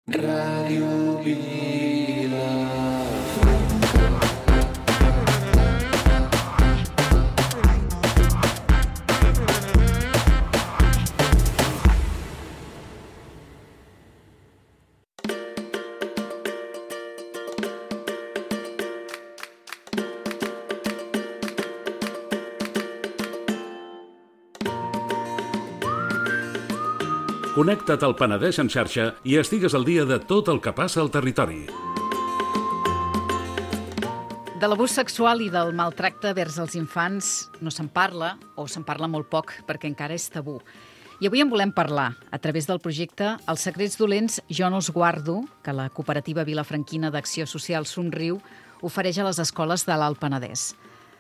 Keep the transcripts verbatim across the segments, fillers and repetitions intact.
Ràdio Vila. Connecta't al Penedès en xarxa i estigues al dia de tot el que passa al territori. De l'abús sexual i del maltracte vers els infants no se'n parla, o se'n parla molt poc, perquè encara és tabú. I avui en volem parlar, a través del projecte Els secrets dolents jo no els guardo, que la cooperativa vilafranquina d'acció social Somriu ofereix a les escoles de l'Alt Penedès.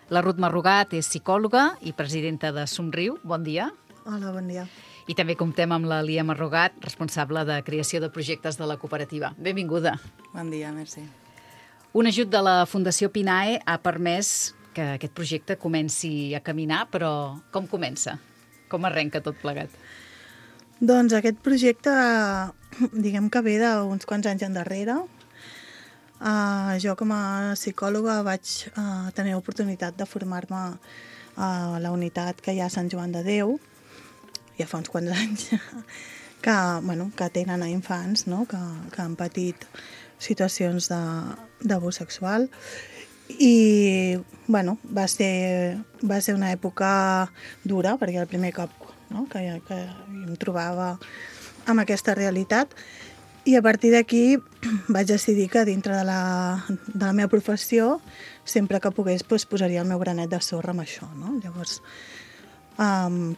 La Ruth Marrugat és psicòloga i presidenta de Somriu. Bon dia. Hola, bon dia. I també comptem amb la Lia Marrugat, responsable de creació de projectes de la cooperativa. Benvinguda. Bon dia, merci. Un ajut de la Fundació Pinae ha permès que aquest projecte comenci a caminar, però com comença? Com arrenca tot plegat? Doncs aquest projecte, diguem que ve d'uns quants anys endarrere. Uh, jo com a psicòloga vaig uh, tenir l'oportunitat de formar-me a la unitat que hi ha a Sant Joan de Déu, ja fa uns quants anys, que, bueno, que tenen a infants, no? que, que han patit situacions d'abús sexual. I bueno, va ser, va ser una època dura, perquè el primer cop, no? que, que em trobava amb aquesta realitat. I a partir d'aquí vaig decidir que dintre de la, de la meva professió, sempre que pogués, doncs, posaria el meu granet de sorra amb això. No? Llavors, um,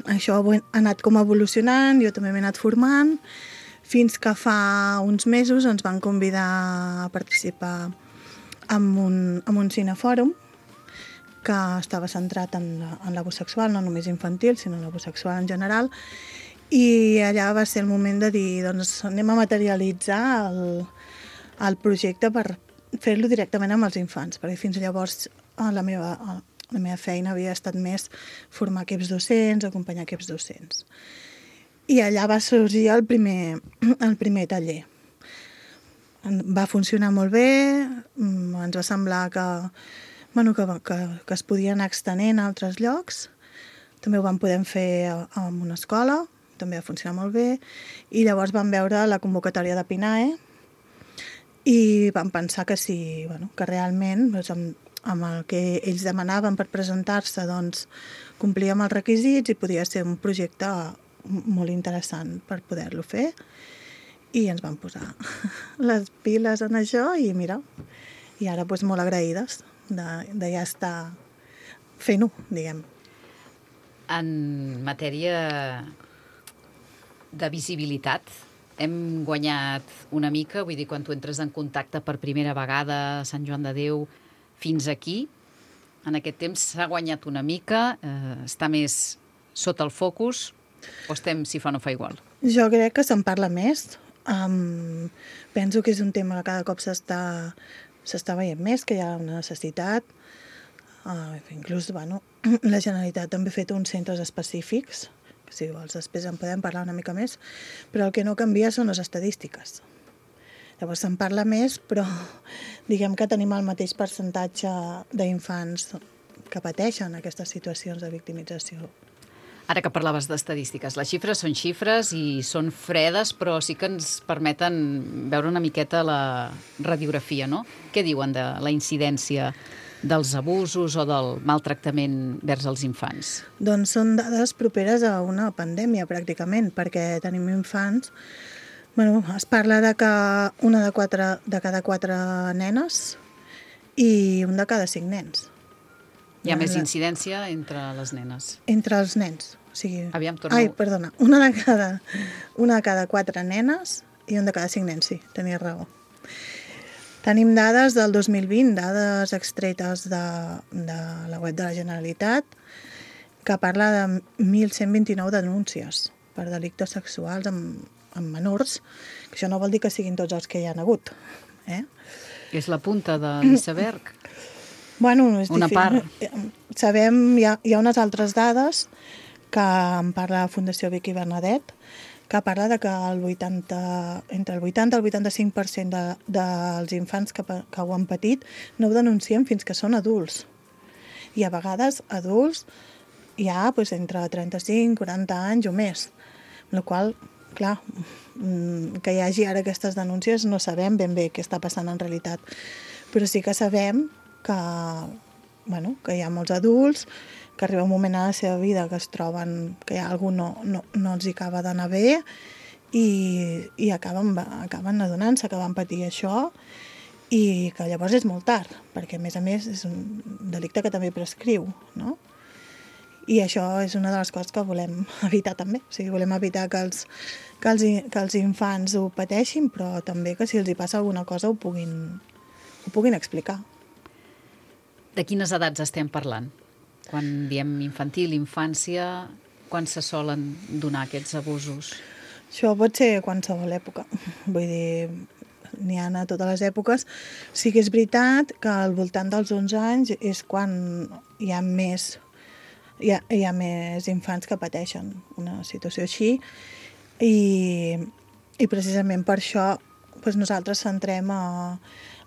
això ha anat com evolucionant, jo també m'he anat formant, fins que fa uns mesos ens van convidar a participar en un, en un cinefòrum que estava centrat en, en l'abús sexual, no només infantil, sinó en l'abús sexual en general, i allà va ser el moment de dir, doncs anem a materialitzar el, el projecte per fer-lo directament amb els infants, perquè fins llavors la meva... La meva feina havia estat més formar equips docents, acompanyar equips docents. I allà va sorgir el primer, el primer taller. Va funcionar molt bé, ens va semblar que, bueno, que, que, que es podia anar extenent a altres llocs. També ho vam poder fer en una escola, també va funcionar molt bé. I llavors vam veure la convocatòria de Pinae i vam pensar que sí, bueno, que realment... Doncs, amb, amb el que ells demanaven per presentar-se, doncs complia amb els requisits i podia ser un projecte molt interessant per poder-lo fer. I ens vam posar les piles en això i mira, i ara doncs molt agraïdes de, de ja estar fent-ho, diguem. En matèria de visibilitat, hem guanyat una mica, vull dir, quan tu entres en contacte per primera vegada a Sant Joan de Déu, fins aquí, en aquest temps s'ha guanyat una mica, eh, està més sota el focus, o estem si fa no fa igual? Jo crec que se'n parla més. Um, penso que és un tema que cada cop s'està s'està veient més, que hi ha una necessitat. Uh, inclús, bueno, la Generalitat també ha fet uns centres específics, que si vols després en podem parlar una mica més, però el que no canvia són les estadístiques. Llavors se'n parla més, però diguem que tenim el mateix percentatge d'infants que pateixen aquestes situacions de victimització. Ara que parlaves d'estadístiques, les xifres són xifres i són fredes, però sí que ens permeten veure una miqueta la radiografia, no? Què diuen de la incidència dels abusos o del maltractament vers els infants? Doncs són dades properes a una pandèmia, pràcticament, perquè tenim infants. Bueno, es parla de que una de, quatre, de cada quatre nenes i un de cada cinc nens. Hi ha més incidència entre les nenes? Entre els nens. O sigui... Aviam, torno... Ai, perdona. Una de, cada, una de cada quatre nenes i un de cada cinc nens, sí, tenies raó. Tenim dades del dos mil vint, dades extretes de, de la web de la Generalitat, que parla de mil cent vint-i-nou denúncies per delictes sexuals amb amb menors, que això no vol dir que siguin tots els que hi ha hagut. Eh? És la punta de l'iceberg. Bueno, és una difícil. part. Sabem, hi ha, hi ha unes altres dades que en parla la Fundació Vicky Bernadette, que parla de que el vuitanta, entre el vuitanta i el vuitanta-cinc per cent de, dels infants que, que ho han patit no ho denuncien fins que són adults. I a vegades adults ja pues, entre trenta-cinc i quaranta anys o més. Amb la qual clar, que hi hagi ara aquestes denúncies no sabem ben bé què està passant en realitat. Però sí que sabem que, bueno, que hi ha molts adults que arriba un moment a la seva vida que es troben que hi ha algú no, no, no els hi acaba d'anar bé i, i acaben, acaben adonant-se que van patir això i que llavors és molt tard, perquè a més a més és un delicte que també prescriu, no? I això és una de les coses que volem evitar també. O sigui, volem evitar que els, que els, que els infants ho pateixin, però també que si els hi passa alguna cosa ho puguin, ho puguin explicar. De quines edats estem parlant? Quan diem infantil, infància, quan se solen donar aquests abusos? Això pot ser a qualsevol època. Vull dir, n'hi ha a totes les èpoques. Sí que és veritat que al voltant dels onze anys és quan hi ha més, hi ha, hi ha més infants que pateixen una situació així i, i precisament per això doncs nosaltres centrem a,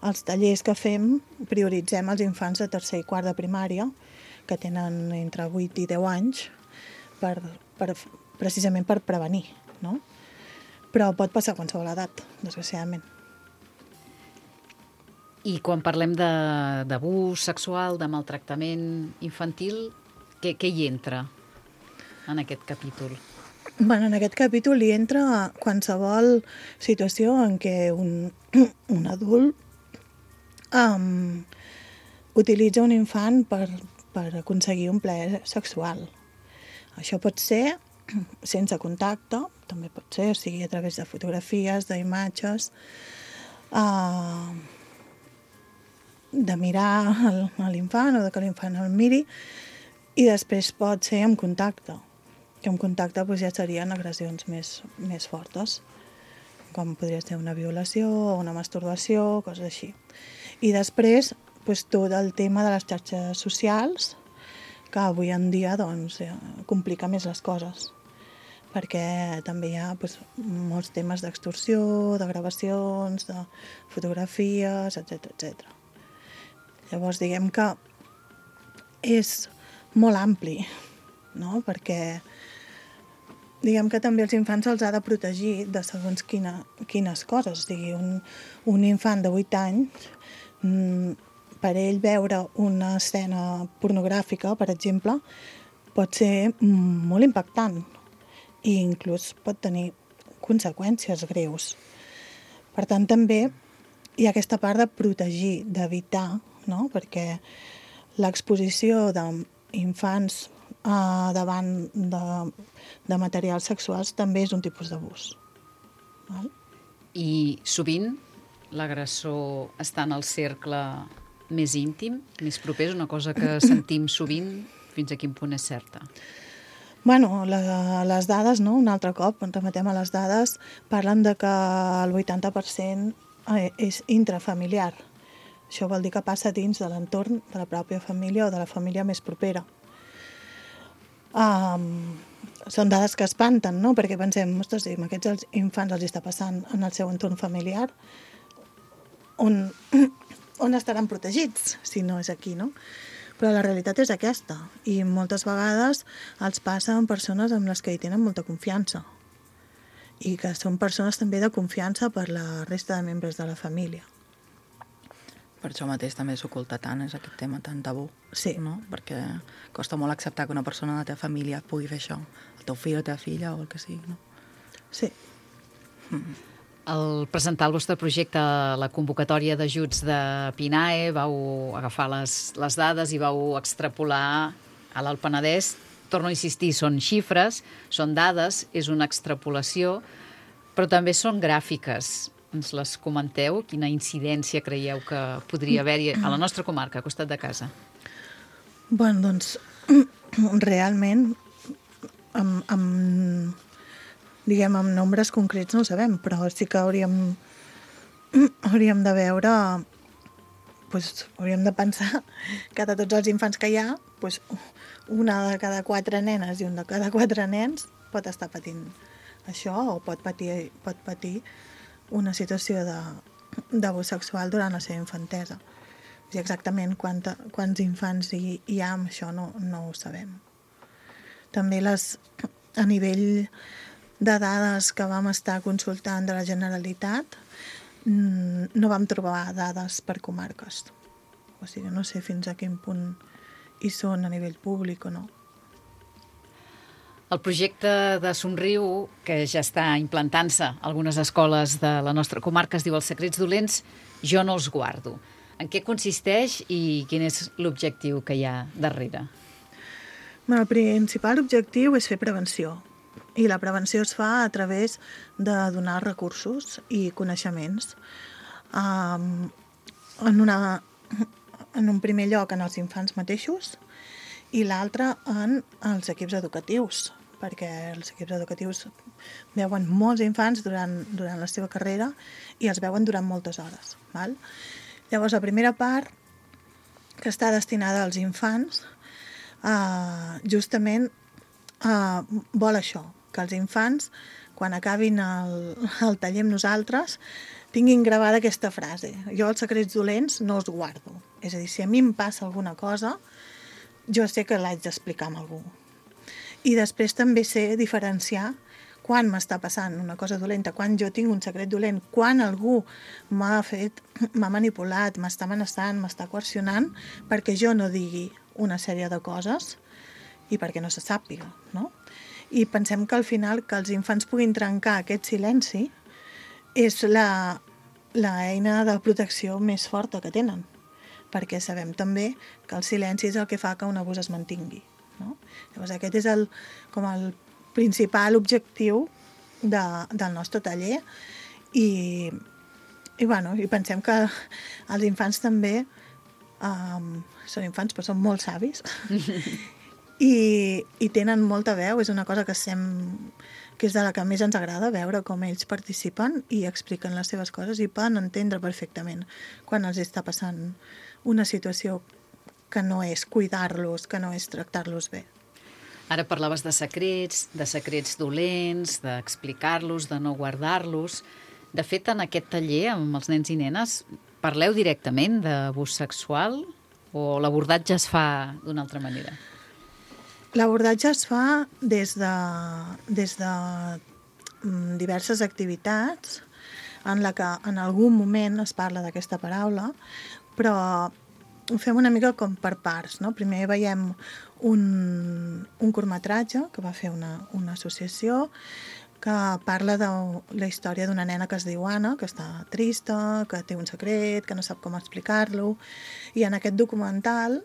als tallers que fem, prioritzem els infants de tercer i quart de primària, que tenen entre vuit i deu anys, per, per, precisament per prevenir, no? Però pot passar a qualsevol edat, desgraciadament. I quan parlem d'abús sexual, de maltractament infantil, què, què hi entra en aquest capítol? Bueno, en aquest capítol hi entra qualsevol situació en què un, un adult um, utilitza un infant per, per aconseguir un plaer sexual. Això pot ser sense contacte, també pot ser, o sigui, a través de fotografies, d'imatges, uh, de mirar a l'infant o de que l'infant el miri, i després pot ser amb contacte, que amb contacte doncs, ja serien agressions més, més fortes, com podria ser una violació o una masturbació, coses així. I després, doncs, tot el tema de les xarxes socials, que avui en dia doncs, complica més les coses, perquè també hi ha doncs, molts temes d'extorsió, de gravacions, de fotografies, etcètera, etcètera. Llavors, diguem que és molt ampli, no? Perquè diguem que també els infants se'ls ha de protegir de segons quina, quines coses. O sigui, un, un infant de vuit anys, per ell veure una escena pornogràfica, per exemple, pot ser molt impactant i inclús pot tenir conseqüències greus. Per tant, també hi ha aquesta part de protegir, d'evitar, no? Perquè l'exposició d'infants eh, davant de, de materials sexuals també és un tipus d'abús. I sovint l'agressor està en el cercle més íntim, més proper, és una cosa que sentim sovint, fins a quin punt és certa? Bueno, la, les dades, no? Un altre cop, ens remetem a les dades, parlen de que el vuitanta per cent és intrafamiliar. Això vol dir que passa dins de l'entorn de la pròpia família o de la família més propera. Um, són dades que espanten, no? Perquè pensem, ostres, si aquests infants els està passant en el seu entorn familiar, on, on estaran protegits, si no és aquí, no? Però la realitat és aquesta, i moltes vegades els passa amb persones amb les que hi tenen molta confiança, i que són persones també de confiança per la resta de membres de la família. Per això mateix també s'oculta tant, és aquest tema tan tabú. Sí. No? Perquè costa molt acceptar que una persona de la teva família pugui fer això. El teu fill o la teva filla o el que sigui, no? Sí. Mm. Al presentar el vostre projecte a la convocatòria d'ajuts de PINAE vau agafar les, les dades i vau extrapolar a l'Alt Penedès. Torno a insistir, són xifres, són dades, és una extrapolació, però també són gràfiques. Ens les comenteu? Quina incidència creieu que podria haver-hi a la nostra comarca, a costat de casa? Bueno, doncs, realment, amb, amb, diguem, amb nombres concrets no ho sabem, però sí que hauríem, hauríem de veure, doncs, hauríem de pensar que de tots els infants que hi ha, doncs, una de cada quatre nenes i un de cada quatre nens pot estar patint això o pot patir, pot patir una situació de, d'abús sexual durant la seva infantesa. I exactament quanta, quants infants hi, hi ha amb això no, no ho sabem. També les, a nivell de dades que vam estar consultant de la Generalitat, no vam trobar dades per comarques. O sigui, no sé fins a quin punt hi són a nivell públic o no. El projecte de Somriu, que ja està implantant-se a algunes escoles de la nostra comarca, es diu Els secrets dolents, jo no els guardo. En què consisteix i quin és l'objectiu que hi ha darrere? El principal objectiu és fer prevenció. I la prevenció es fa a través de donar recursos i coneixements. Um, en, una, en un primer lloc en els infants mateixos i l'altre en els equips educatius, perquè els equips educatius veuen molts infants durant, durant la seva carrera i els veuen durant moltes hores. Val? Llavors, la primera part, que està destinada als infants, uh, justament uh, vol això, que els infants, quan acabin el, el taller amb nosaltres, tinguin gravada aquesta frase. Jo els secrets dolents no els guardo. És a dir, si a mi em passa alguna cosa, jo sé que l'haig d'explicar amb algú. I després també sé diferenciar quan m'està passant una cosa dolenta, quan jo tinc un secret dolent, quan algú m'ha fet, m'ha manipulat, m'està amenaçant, m'està coercionant, perquè jo no digui una sèrie de coses i perquè no se sàpiga, no? I pensem que al final que els infants puguin trencar aquest silenci és la, la eina de protecció més forta que tenen, perquè sabem també que el silenci és el que fa que un abús es mantingui, no? Llavors aquest és el, com el principal objectiu de, del nostre taller i, i, bueno, i pensem que els infants també um, són infants però són molt savis I, i tenen molta veu, és una cosa que, sem, que és de la que més ens agrada veure com ells participen i expliquen les seves coses i poden entendre perfectament quan els està passant una situació que no és cuidar-los, que no és tractar-los bé. Ara parlaves de secrets, de secrets dolents, d'explicar-los, de no guardar-los. De fet, en aquest taller, amb els nens i nenes, parleu directament d'abús sexual o l'abordatge es fa d'una altra manera? L'abordatge es fa des de, des de diverses activitats en la que en algun moment es parla d'aquesta paraula, però ho fem una mica com per parts, no? Primer veiem un, un curtmetratge que va fer una, una associació que parla de la història d'una nena que es diu Anna, que està trista, que té un secret, que no sap com explicar-lo, i en aquest documental,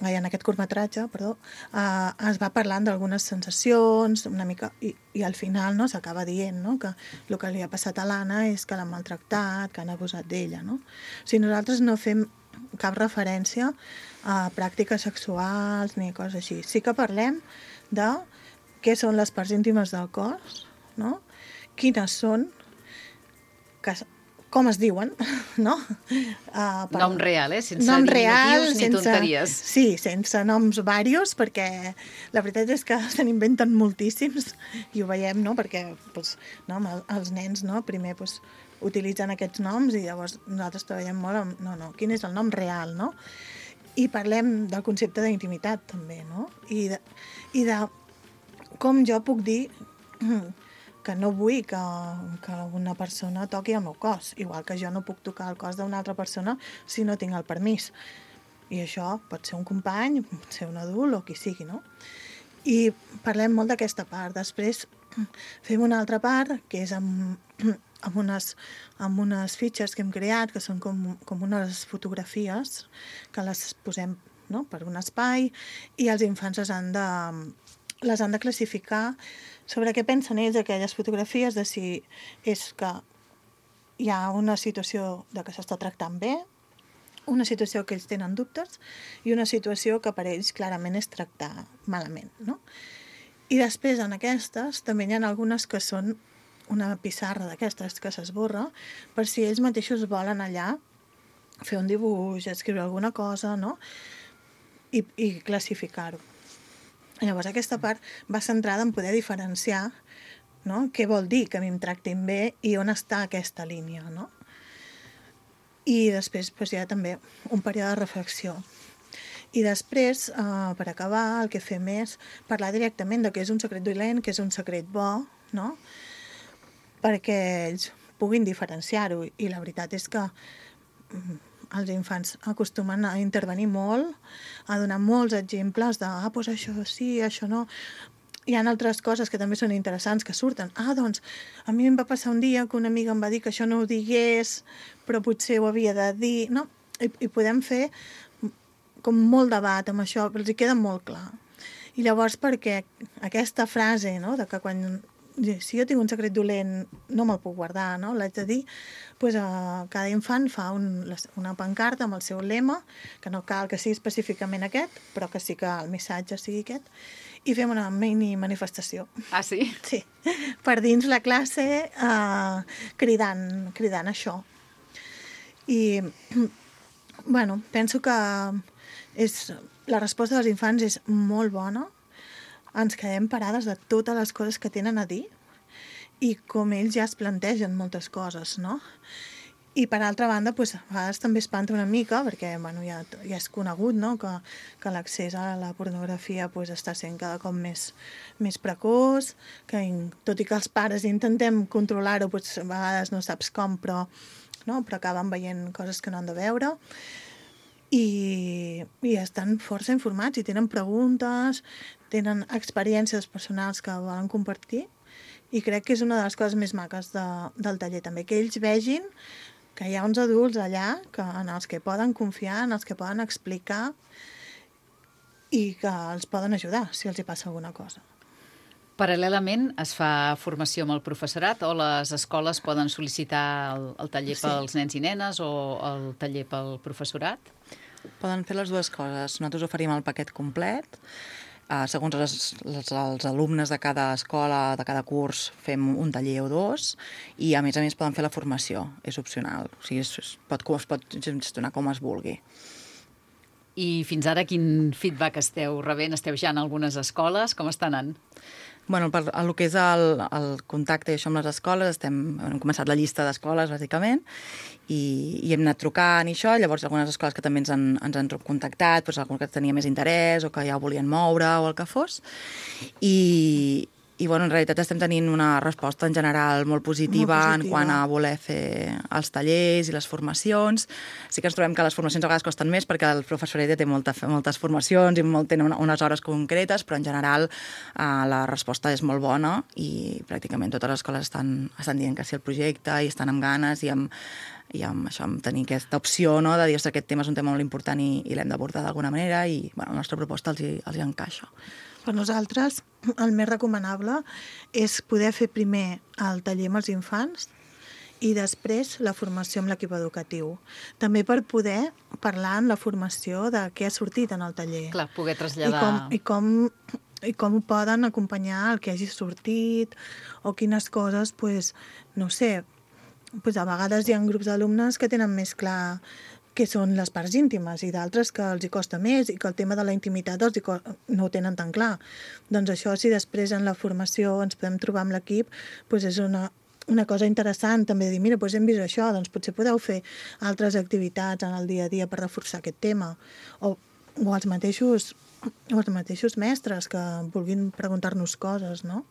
ai, en aquest curtmetratge, perdó, eh, es va parlant d'algunes sensacions, una mica, i, i al final no, s'acaba dient, no, que el que li ha passat a l'Anna és que l'han maltractat, que han abusat d'ella, no? O sigui, nosaltres no fem cap referència a pràctiques sexuals ni coses així. Sí que parlem de què són les parts íntimes del cos, no? Quines són, que, com es diuen, no? Uh, per... Nom real, eh? Sense nom diminutius real, ni sense... tonteries. Sí, sense noms varios, perquè la veritat és que se n'inventen moltíssims i ho veiem, no? Perquè pues, no, els nens no? primer pues, utilitzen aquests noms i llavors nosaltres treballem molt amb... No, no, quin és el nom real, no? I parlem del concepte d'intimitat, també, no? I de, i de com jo puc dir que no vull que, que una persona toqui el meu cos, igual que jo no puc tocar el cos d'una altra persona si no tinc el permís. I això pot ser un company, pot ser un adult o qui sigui, no? I parlem molt d'aquesta part. Després fem una altra part, que és amb, amb, unes, amb unes fitxes que hem creat, que són com, com unes fotografies, que les posem no? per un espai, i els infants les han de, les han de classificar sobre què pensen ells d'aquelles fotografies, de si és que hi ha una situació de que s'està tractant bé, una situació que ells tenen dubtes i una situació que per ells clarament és tractar malament, no? I després en aquestes també hi ha algunes que són una pissarra d'aquestes que s'esborra per si ells mateixos volen allà fer un dibuix, escriure alguna cosa, no? I, i classificar-ho. Llavors aquesta part va centrada en poder diferenciar no? Què vol dir que a mi em tractin bé i on està aquesta línia, no? I després doncs, hi ha també un període de reflexió. I després, eh, per acabar, el que fem és parlar directament de què és un secret dolent, què és un secret bo, no? Perquè ells puguin diferenciar-ho. I la veritat és que els infants acostumen a intervenir molt, a donar molts exemples de ah, doncs això sí, això no. Hi ha altres coses que també són interessants que surten. Ah, doncs, a mi em va passar un dia que una amiga em va dir que això no ho digués, però potser ho havia de dir, no? I, i podem fer com molt debat amb això, però els hi queda molt clar. I llavors, perquè aquesta frase, no?, de que quan si jo tinc un secret dolent no me'l puc guardar, no?, l'haig de dir, doncs eh, cada infant fa un, una pancarta amb el seu lema, que no cal que sigui específicament aquest, però que sí que el missatge sigui aquest, i fem una mini manifestació. Ah, sí? Sí, per dins la classe eh, cridant, cridant això. I, bueno, penso que és, la resposta dels infants és molt bona. Ens quedem parades de totes les coses que tenen a dir i com ells ja es plantegen moltes coses, no? I per altra banda, doncs, a vegades també espanta una mica, perquè bueno, ja, ja és conegut, no?, que, que l'accés a la pornografia doncs, està sent cada cop més, més precoç, que tot i que els pares intentem controlar-ho, doncs, a vegades no saps com, però, no? però acaben veient coses que no han de veure. I, i estan força informats i tenen preguntes, tenen experiències personals que volen compartir i crec que és una de les coses més maques de, del taller també, que ells vegin que hi ha uns adults allà que, en els que poden confiar, en els que poden explicar i que els poden ajudar si els hi passa alguna cosa. Paral·lelament es fa formació amb el professorat o les escoles poden sol·licitar el, el taller Sí. pels nens i nenes o el taller pel professorat? Poden fer les dues coses. Nosaltres oferim el paquet complet. Uh, segons les, les, els alumnes de cada escola, de cada curs, fem un taller o dos i, a més a més, poden fer la formació. És opcional. O sigui, es, es, pot, es pot gestionar com es vulgui. I fins ara quin feedback esteu rebent? Esteu ja en algunes escoles? Com està anant? Bueno, per el que és el, el contacte i això amb les escoles, estem, hem començat la llista d'escoles, bàsicament, i, i hem anat trucant i això, llavors algunes escoles que també ens han, ens han contactat, doncs algun que tenia més interès o que ja ho volien moure o el que fos, i, i bueno, en realitat estem tenint una resposta en general molt positiva, Molt positiva. en quant a voler fer els tallers i les formacions. Sí que ens trobem que les formacions a vegades costen més perquè el professorat ja té molta, moltes formacions i molt, tenen unes hores concretes, però en general eh, la resposta és molt bona i pràcticament totes les escoles estan, estan dient que sí al projecte i estan amb ganes i amb, i amb, això, amb tenir aquesta opció, no?, de dir que aquest tema és un tema molt important i, i l'hem d'abordar d'alguna manera i bueno, la nostra proposta els hi, els hi encaixa. Per nosaltres, el més recomanable és poder fer primer el taller amb els infants i després la formació amb l'equip educatiu. També per poder parlar en la formació de què ha sortit en el taller. Clar, poder traslladar... I com, i com, i com ho poden acompanyar el que hagi sortit o quines coses, pues, no sé, pues a vegades hi ha grups d'alumnes que tenen més clar que són les parts íntimes i d'altres que els hi costa més i que el tema de la intimitat els hi no ho tenen tan clar. Doncs això, si després en la formació ens podem trobar amb l'equip, doncs és una, una cosa interessant també dir, mira, doncs hem vist això, doncs potser podeu fer altres activitats en el dia a dia per reforçar aquest tema. O, o els mateixos o els mateixos mestres que vulguin preguntar-nos coses, no?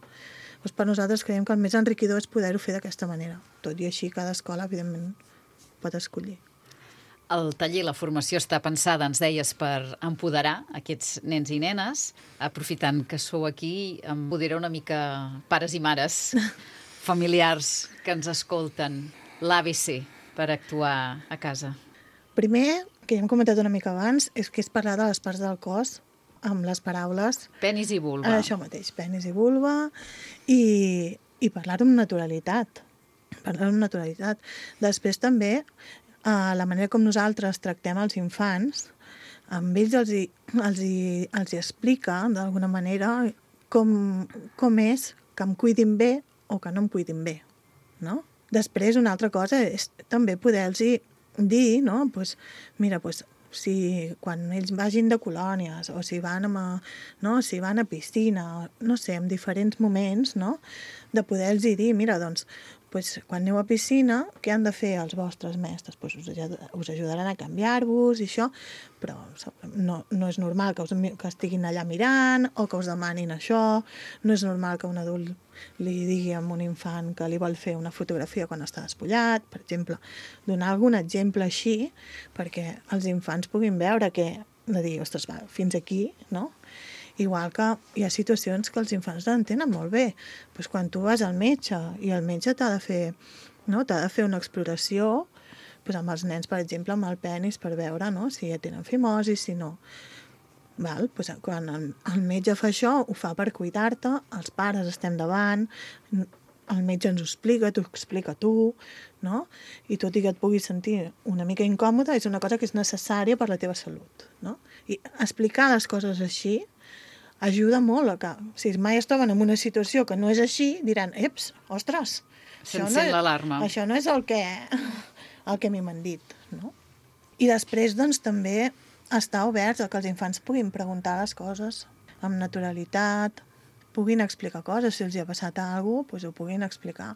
Doncs per nosaltres creiem que el més enriquidor és poder-ho fer d'aquesta manera. Tot i així, cada escola, evidentment, pot escollir. El taller, la formació està pensada, ens deies, per empoderar aquests nens i nenes. Aprofitant que sou aquí, em poderà una mica pares i mares, familiars que ens escolten, l'A B C per actuar a casa. Primer, que ja hem comentat una mica abans, és que és parlar de les parts del cos amb les paraules... Penis i vulva. Això mateix, penis i vulva, i, i parlar-ho amb naturalitat. Parlar-ho amb naturalitat. Després també... Uh, la manera com nosaltres tractem els infants, amb ells els hi, els hi, els hi explica d'alguna manera com, com és que em cuidin bé o que no em cuidin bé, no? Després, una altra cosa és també poder-los dir, no? Pues, mira, pues, si quan ells vagin de colònies o si van a, no, si van a piscina, no sé, en diferents moments, no? De poder-los dir, mira, doncs, pues, quan aneu a piscina, què han de fer els vostres mestres? Pues us, us ajudaran a canviar-vos i això, però no, no és normal que, us, que estiguin allà mirant o que us demanin això, no és normal que un adult li digui a un infant que li vol fer una fotografia quan està despullat, per exemple, donar algun exemple així perquè els infants puguin veure que, de dir, ostres, va, fins aquí, no? Igual que hi ha situacions que els infants l'entenen molt bé. Pues quan tu vas al metge i el metge t'ha de fer, no? t'ha de fer una exploració pues amb els nens, per exemple, amb el penis per veure, no? Si ja tenen fimosi, si no. Val? Pues quan el, el metge fa això, ho fa per cuidar-te, els pares estem davant, el metge ens ho explica, t'ho explica tu, no? I tot i que et puguis sentir una mica incòmode, és una cosa que és necessària per la teva salut, no? I explicar les coses així ajuda molt a que, si mai es troben en una situació que no és així, diran, eps, ostres, això no, l'alarma. Això no és el que, el que m'han dit, no? I després, doncs, també estar oberts a que els infants puguin preguntar les coses amb naturalitat, puguin explicar coses, si els hi ha passat alguna cosa, doncs ho puguin explicar.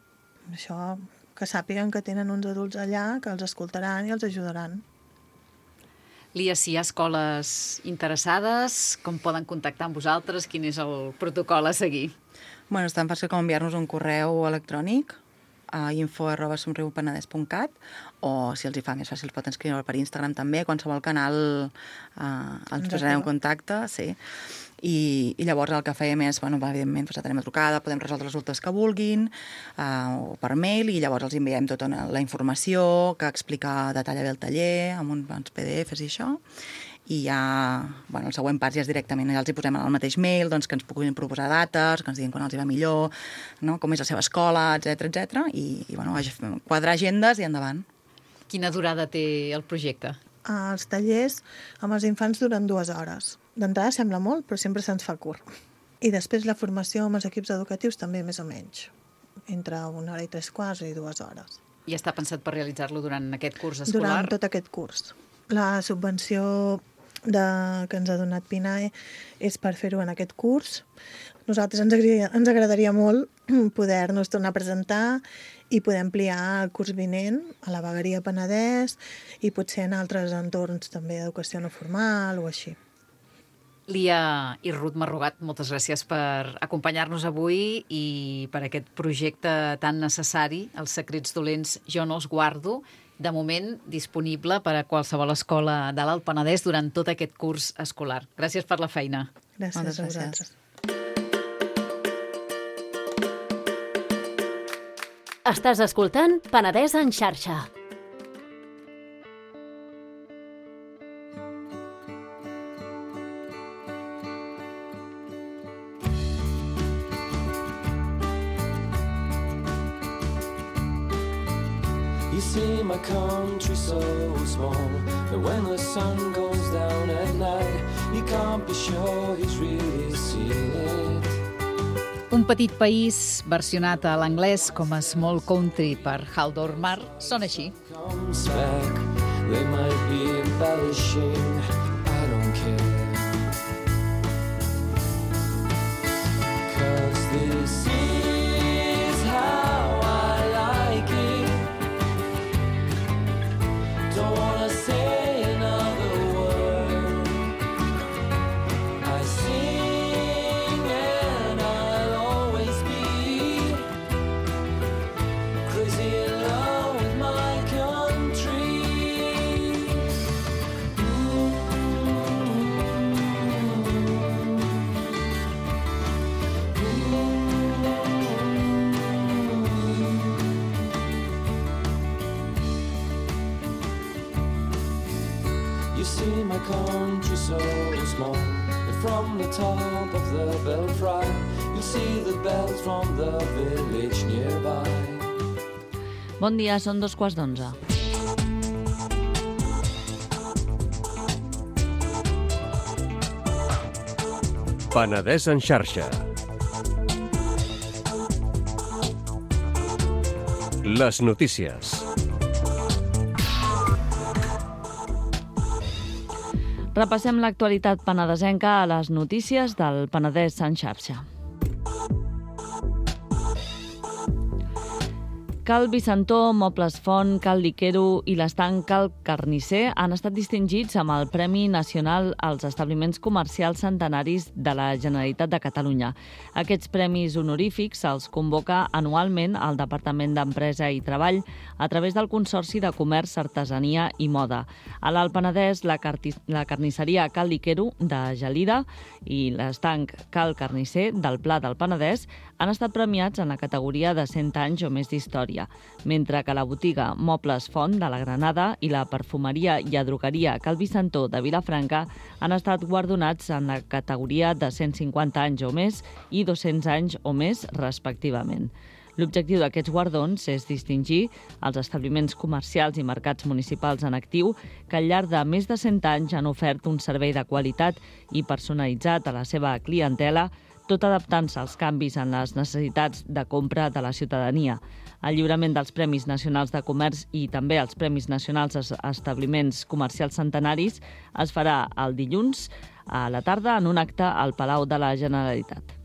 Això, que sàpiguen que tenen uns adults allà que els escoltaran i els ajudaran. Lia, si hi ha escoles interessades, com poden contactar amb vosaltres? Quin és el protocol a seguir? Bueno, és tan fàcil com enviar-nos un correu electrònic a info arroba somriupenedès punt cat o, si els hi fa més fàcil, pot escriure per Instagram també, qualsevol canal eh, ens posarem en contacte, sí. I, i llavors el que fèiem és, bueno, evidentment, doncs, tenim a trucada, podem resoldre els dubtes que vulguin, eh, o per mail, i llavors els enviem tota la informació que explica, detalla bé el taller, amb uns P D Fs i això, i ja, bueno, el següent pas ja és directament, ja els hi posem al mateix mail, doncs que ens puguin proposar dates, que ens diguin quan els hi va millor, no? Com és la seva escola, etcètera, etcètera, i, i bueno, quadrar agendes i endavant. Quina durada té el projecte? Els tallers amb els infants duren dues hores. D'entrada sembla molt, però sempre se'ns fa curt. I després la formació amb els equips educatius també més o menys, entre una hora i tres quarts i dues hores. I està pensat per realitzar-lo durant aquest curs escolar? Durant tot aquest curs. La subvenció de, que ens ha donat PINAE és per fer-ho en aquest curs. Nosaltres ens agradaria, ens agradaria molt poder-nos tornar a presentar i poder ampliar el curs vinent a la Vegueria Penedès i potser en altres entorns també d'educació no formal o així. Lia i Ruth Marrugat, moltes gràcies per acompanyar-nos avui i per aquest projecte tan necessari, Els secrets dolents jo no els guardo, de moment disponible per a qualsevol escola de l'Alt Penedès durant tot aquest curs escolar. Gràcies per la feina. Gràcies Moltes a gràcies. vosaltres. Estàs escoltant Penedès en xarxa. You see my country so small that when the sun goes down at night you can't be sure he's really seen it. Un petit país versionat a l'anglès com a Small Country per Haldor Mar sona així. Comes back, they might be embellishing, I don't care. 'Cause this is how I like it. Don't wanna say another word. I sing and I'll always be crazy in love with my country. You see my country so small that from the top of the belfry you see the bells from the village nearby. Bon dia, són dos quarts d'onze. Penedès en xarxa. Les notícies. Repassem l'actualitat penedesenca a les notícies del Penedès en xarxa. Cal Vicentó, Mobles Font, Cal Liquero i l'estanc Cal Carnisser han estat distingits amb el Premi Nacional als Establiments Comercials Centenaris de la Generalitat de Catalunya. Aquests premis honorífics els convoca anualment el Departament d'Empresa i Treball a través del Consorci de Comerç, Artesania i Moda. A l'Alt Penedès, la, la carnisseria Cal Liquero de Gelida i l'estanc Cal Carnisser del Pla del Penedès han estat premiats en la categoria de cent anys o més d'història, mentre que la botiga Mobles Font de la Granada i la perfumeria i adrogueria Cal Vicentó de Vilafranca han estat guardonats en la categoria de cent cinquanta anys o més i dos-cents anys o més, respectivament. L'objectiu d'aquests guardons és distingir els establiments comercials i mercats municipals en actiu que al llarg de més de cent anys han ofert un servei de qualitat i personalitzat a la seva clientela, tot adaptant-se als canvis en les necessitats de compra de la ciutadania. El lliurament dels Premis Nacionals de Comerç i també els Premis Nacionals als Establiments Comercials Centenaris es farà el dilluns a la tarda en un acte al Palau de la Generalitat.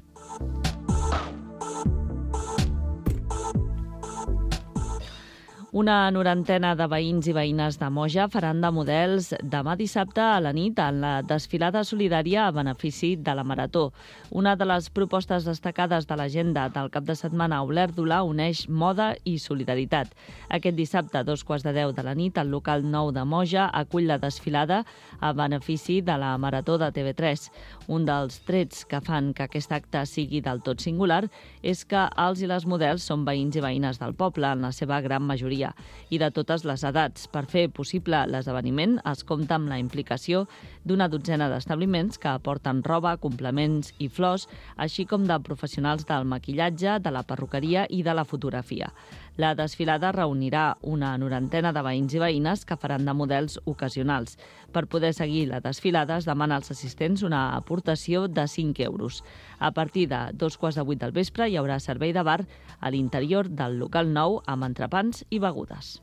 Una norantena de veïns i veïnes de Moja faran de models demà dissabte a la nit en la desfilada solidària a benefici de la Marató. Una de les propostes destacades de l'agenda del cap de setmana a Olèrdola uneix moda i solidaritat. Aquest dissabte, a dos quarts de deu de la nit, el local nou de Moja acull la desfilada a benefici de la Marató de T V tres. Un dels trets que fan que aquest acte sigui del tot singular és que els i les models són veïns i veïnes del poble, en la seva gran majoria, i de totes les edats. Per fer possible l'esdeveniment es compta amb la implicació d'una dotzena d'establiments que aporten roba, complements i flors, així com de professionals del maquillatge, de la perruqueria i de la fotografia. La desfilada reunirà una norantena de veïns i veïnes que faran de models ocasionals. Per poder seguir la desfilada es demana als assistents una aportació de cinc euros. A partir de dos quarts de vuit del vespre hi haurà servei de bar a l'interior del local nou amb entrepans i begudes.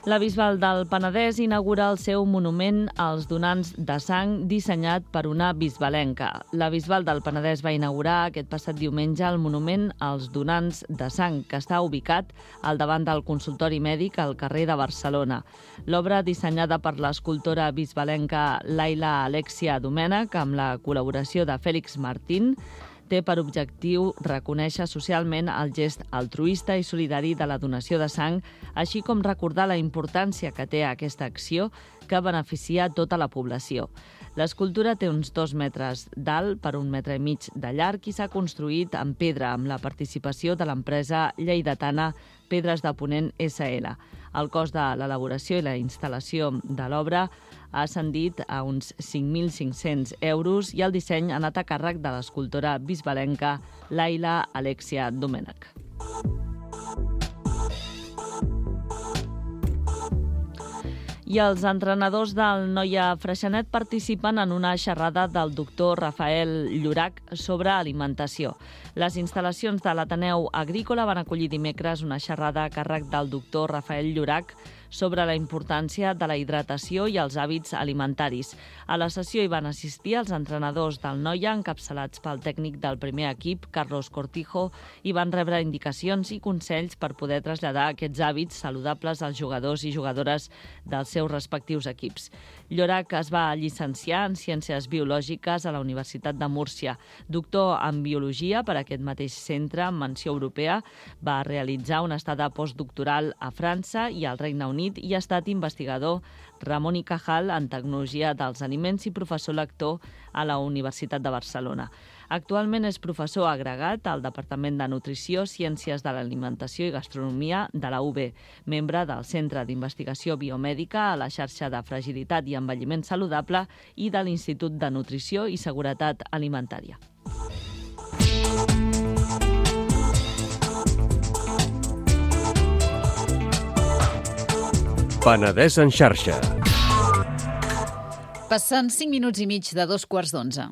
La Bisbal del Penedès inaugura el seu monument als donants de sang dissenyat per una bisbalenca. La Bisbal del Penedès va inaugurar aquest passat diumenge el monument als donants de sang, que està ubicat al davant del consultori mèdic al carrer de Barcelona. L'obra, dissenyada per l'escultora bisbalenca Laila Alexia Domènech amb la col·laboració de Fèlix Martín, té per objectiu reconèixer socialment el gest altruista i solidari de la donació de sang, així com recordar la importància que té aquesta acció que beneficia tota la població. L'escultura té uns dos metres d'alt per un metre i mig de llarg i s'ha construït en pedra amb la participació de l'empresa lleidatana Pedres de Ponent S L. El cost de l'elaboració i la instal·lació de l'obra ha ascendit a uns cinc mil cinc-cents euros i el disseny ha anat a càrrec de l'escultora bisbalenca Laila Alexia Domènech. I els entrenadors del Noia Freixenet participen en una xerrada del doctor Rafael Llorach sobre alimentació. Les instal·lacions de l'Ateneu Agrícola van acollir dimecres una xerrada a càrrec del doctor Rafael Llorach sobre la importància de la hidratació i els hàbits alimentaris. A la sessió hi van assistir els entrenadors del Noia, encapçalats pel tècnic del primer equip, Carlos Cortijo, i van rebre indicacions i consells per poder traslladar aquests hàbits saludables als jugadors i jugadores dels seus respectius equips. Llorach es va llicenciar en Ciències Biològiques a la Universitat de Múrcia. Doctor en Biologia per aquest mateix centre amb menció europea, va realitzar una estada postdoctoral a França i al Regne Unit i ha estat investigador Ramon i Cajal en Tecnologia dels Aliments i professor lector a la Universitat de Barcelona. Actualment és professor agregat al Departament de Nutrició, Ciències de l'Alimentació i Gastronomia de la U B, membre del Centre d'Investigació Biomèdica a la xarxa de Fragilitat i Envelliment Saludable i de l'Institut de Nutrició i Seguretat Alimentària. Penedès en xarxa. Passen cinc minuts i mig de dos quarts d'onze.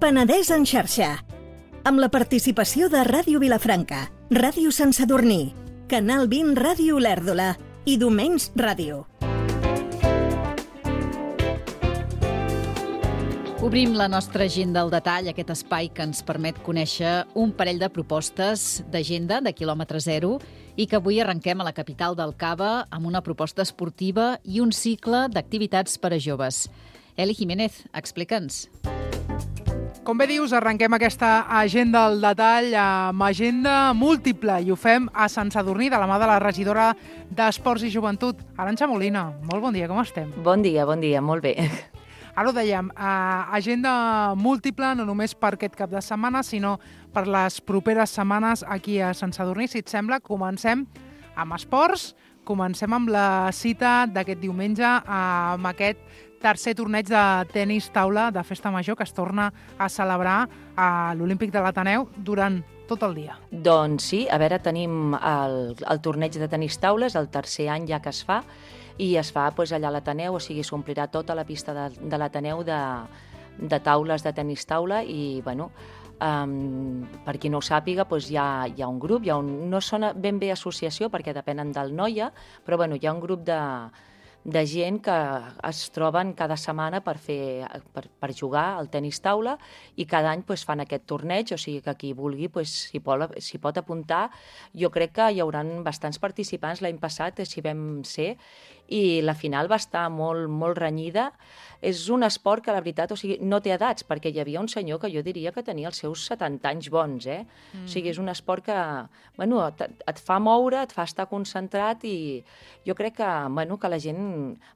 Penedès en xarxa, amb la participació de Ràdio Vilafranca, Ràdio Sant Sadurní, Canal vint Ràdio Olèrdola i Domenys Ràdio. Obrim la nostra agenda al detall, aquest espai que ens permet conèixer un parell de propostes d'agenda de quilòmetre zero i que avui arrenquem a la capital del Cava amb una proposta esportiva i un cicle d'activitats per a joves. Eli Jiménez, explica'ns. Com bé dius, arrenquem aquesta agenda al detall amb agenda múltiple i ho fem a Sant Sadurní de la mà de la regidora d'Esports i Joventut, Arantxa Molina. Molt bon dia, com estem? Bon dia, bon dia, molt bé. Ara ho dèiem, eh, agenda múltiple no només per aquest cap de setmana, sinó per les properes setmanes aquí a Sant Sadurní. Si et sembla, comencem amb esports, comencem amb la cita d'aquest diumenge amb aquest tercer torneig de tenis taula de Festa Major que es torna a celebrar a l'Olímpic de l'Ateneu durant tot el dia. Doncs sí, a veure, tenim el, el torneig de tenis taula, és el tercer any ja que es fa, i es fa doncs, allà a l'Ateneu, o sigui, s'omplirà tota la pista de, de l'Ateneu de, de taules de tenis taula i, bueno, um, per qui no ho sàpiga, doncs hi ha, hi ha un grup, hi ha un, no sona ben bé associació perquè depenen del Noia, però bueno, hi ha un grup de de gent que es troben cada setmana per, fer, per, per jugar al tenis taula i cada any pues, fan aquest torneig, o sigui que qui vulgui pues, s'hi pot, s'hi pot apuntar. Jo crec que hi haurà bastants participants. L'any passat s'hi vam ser i la final va estar molt, molt renyida. És un esport que, la veritat, o sigui, no té edats, perquè hi havia un senyor que jo diria que tenia els seus setanta anys bons, eh? Mm. O sigui, és un esport que, bueno, et, et fa moure, et fa estar concentrat i jo crec que, bueno, que la gent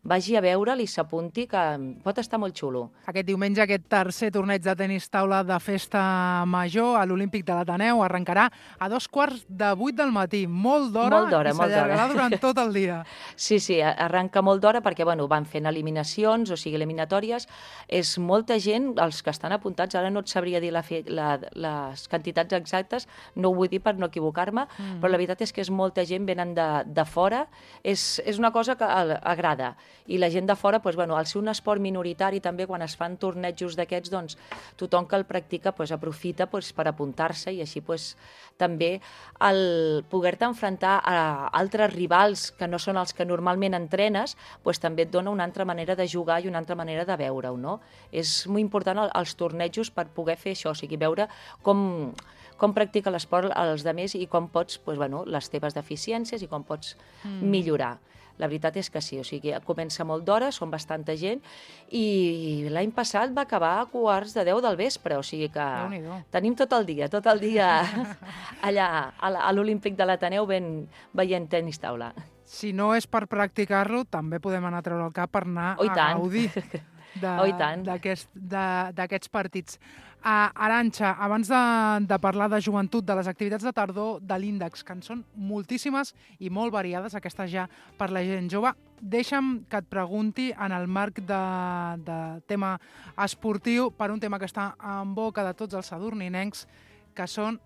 vagi a veure'l i s'apunti, que pot estar molt xulo. Aquest diumenge, aquest tercer torneig de tenis taula de Festa Major a l'Olímpic de l'Ateneu arrencarà a dos quarts de vuit del matí. Molt d'hora, molt d'hora i s'allargarà durant tot el dia. Sí, sí, arranca molt d'hora perquè, bueno, van fent eliminacions, o sigui, eliminatòries. És molta gent, els que estan apuntats, ara no et sabria dir la fe, la, les quantitats exactes, no ho vull dir per no equivocar-me, mm. però la veritat és que és molta gent, venen de, de fora. És, és una cosa que agrada. I la gent de fora, doncs, bueno, al ser un esport minoritari també, quan es fan tornejos d'aquests, doncs, tothom que el practica doncs, aprofita doncs, per apuntar-se i així doncs, també el poder-te enfrontar a altres rivals que no són els que normalment entrenes, doncs, també et dona una altra manera de jugar i una altra manera de veure-ho, no? És molt important els tornejos per poder fer això, o sigui, veure com, com practica l'esport els altres i com pots, doncs, bueno, les teves deficiències i com pots mm. millorar. La veritat és que sí, o sigui, comença molt d'hora, són bastanta gent, i l'any passat va acabar a quarts de deu del vespre, o sigui que tenim tot el dia, tot el dia allà a l'Olímpic de l'Ateneu veient tenis taula. Si no és per practicar-lo, també podem anar a treure el cap per anar oh, a gaudir d'aquests partits. Uh, Arantxa, abans de, de parlar de joventut, de les activitats de tardor de l'Índex, que en són moltíssimes i molt variades, aquestes ja per la gent jove, deixa'm que et pregunti en el marc de, de tema esportiu per un tema que està en boca de tots els sadurninencs, que són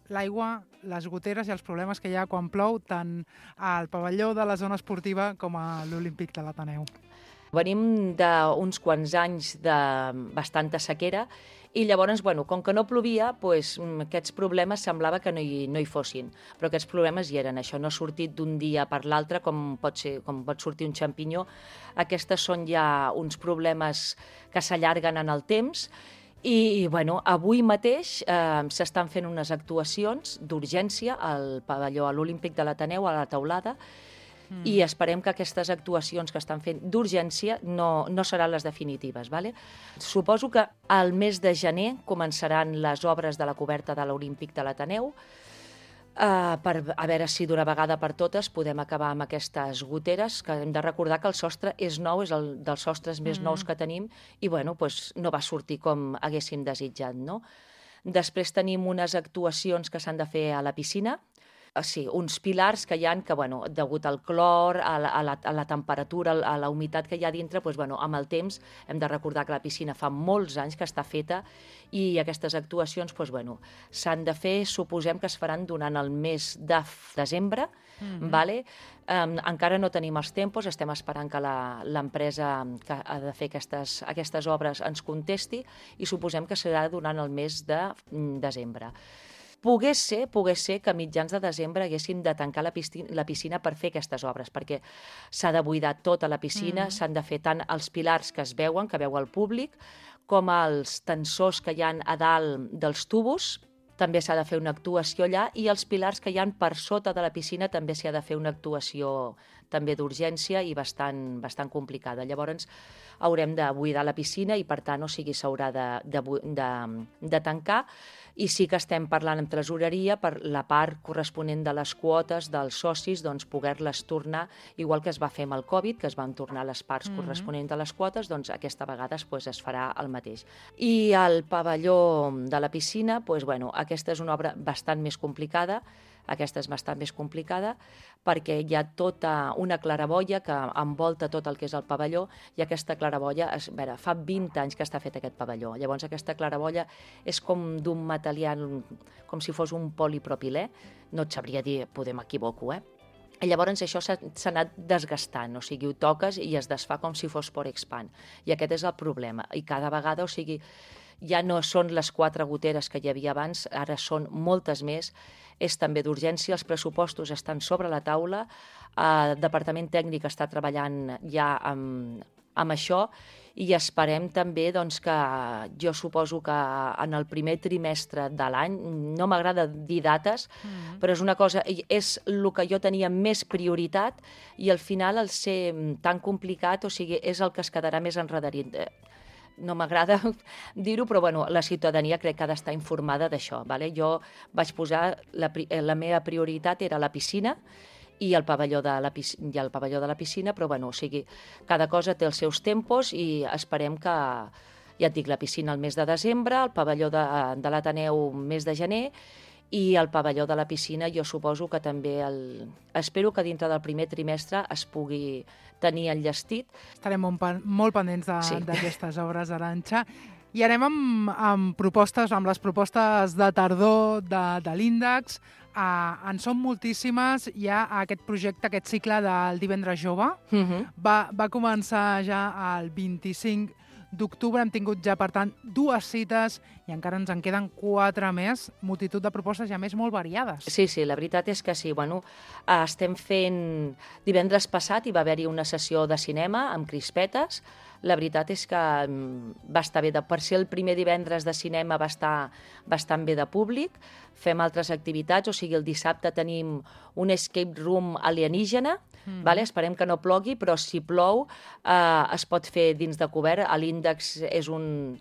l'aigua, les goteres i els problemes que hi ha quan plou tant al pavelló de la zona esportiva com a l'Olímpic de l'Ateneu. Venim d'uns quants anys de bastanta sequera i llavors, bueno, com que no plovia, doncs, aquests problemes semblava que no hi, no hi fossin. Però aquests problemes hi eren. Això no ha sortit d'un dia per l'altre, com pot ser, com pot sortir un xampinyó. Aquestes són ja uns problemes que s'allarguen en el temps. I, bueno, avui mateix eh, s'estan fent unes actuacions d'urgència al pavelló, a l'Olímpic de l'Ateneu, a la teulada, Mm. i esperem que aquestes actuacions que estan fent d'urgència no, no seran les definitives. Vale? Suposo que al mes de gener començaran les obres de la coberta de l'Olímpic de l'Ateneu, uh, per a veure si d'una vegada per totes podem acabar amb aquestes goteres, que hem de recordar que el sostre és nou, és el dels sostres més mm. nous que tenim, i bueno, pues, no va sortir com haguéssim desitjat. No? Després tenim unes actuacions que s'han de fer a la piscina. sí, uns pilars que hi ha que, bueno, degut al clor, a la, a la, a la temperatura, a la humitat que hi ha dintre, doncs, bueno, amb el temps hem de recordar que la piscina fa molts anys que està feta i aquestes actuacions doncs, bueno, s'han de fer, suposem que es faran durant el mes de desembre, mm-hmm. vale? Um, encara no tenim els tempos, estem esperant que l'empresa que ha de fer aquestes, aquestes obres ens contesti i suposem que serà durant el mes de desembre. Pogués ser, pogués ser que a mitjans de desembre haguéssim de tancar la piscina, la piscina per fer aquestes obres, perquè s'ha de buidar tota la piscina, mm-hmm. s'han de fer tant els pilars que es veuen, que veu el públic, com els tensors que hi ha a dalt dels tubos, també s'ha de fer una actuació allà, i els pilars que hi ha per sota de la piscina també s'ha de fer una actuació també d'urgència i bastant, bastant complicada. Llavors haurem de buidar la piscina i per tant, o sigui, s'haurà de, de, de, de tancar, i sí que estem parlant amb tresoreria per la part corresponent de les quotes dels socis, doncs poder-les tornar, igual que es va fer amb el Covid, que es van tornar les parts mm-hmm. corresponents de les quotes, doncs aquesta vegada pues, es farà el mateix. I el pavelló de la piscina, doncs, bueno, aquesta és una obra bastant més complicada, aquesta és bastant més complicada perquè hi ha tota una claraboia que envolta tot el que és el pavelló i aquesta claraboia, a veure, fa vint anys que està fet aquest pavelló. Llavors aquesta claraboia és com d'un material, com si fos un polipropilè, no et sabria dir, podem m'equivoco, eh? I llavors això s'ha anat desgastant, o sigui, ho toques i es desfà com si fos por expand. I aquest és el problema. I cada vegada, o sigui, ja no són les quatre goteres que hi havia abans, ara són moltes més, és també d'urgència, els pressupostos estan sobre la taula, el Departament Tècnic està treballant ja amb, amb això i esperem també doncs, que jo suposo que en el primer trimestre de l'any, no m'agrada dir dates, mm-hmm. però és una cosa, és el que jo tenia més prioritat i al final el ser tan complicat, o sigui, és el que es quedarà més enredarit. No m'agrada dir-ho, però bueno, la ciutadania crec que ha d'estar informada d'això. Vale? Jo vaig posar, la, la meva prioritat era la piscina i el pavelló de la, piscina, i el pavelló de la piscina, però bueno, o sigui, cada cosa té els seus tempos i esperem que, ja et dic, la piscina el mes de desembre, el pavelló de, de l'Ateneu mes de gener, i el pavelló de la piscina jo suposo que també, el... espero que dintre del primer trimestre es pugui tenir enllestit. Estarem molt, molt pendents d'aquestes sí. obres, Arantxa. I anem amb, amb propostes, amb les propostes de tardor de, de l'Índex. Uh, en són moltíssimes. Hi ha aquest projecte, aquest cicle del Divendres Jove. Uh-huh. va, va començar ja el vint-i-cinc d'octubre, hem tingut ja, per tant, dues cites i encara ens en queden quatre més, multitud de propostes ja més molt variades. Sí, sí, la veritat és que sí. Bueno, estem fent... Divendres passat hi va haver-hi una sessió de cinema amb crispetes. La veritat és que va estar bé. De, per ser el primer divendres de cinema va estar bastant bé de públic. Fem altres activitats, o sigui, el dissabte tenim un escape room alienígena. Mm. Vale? Esperem que no plogui, però si plou eh, es pot fer dins de cobert. L'Índex és un...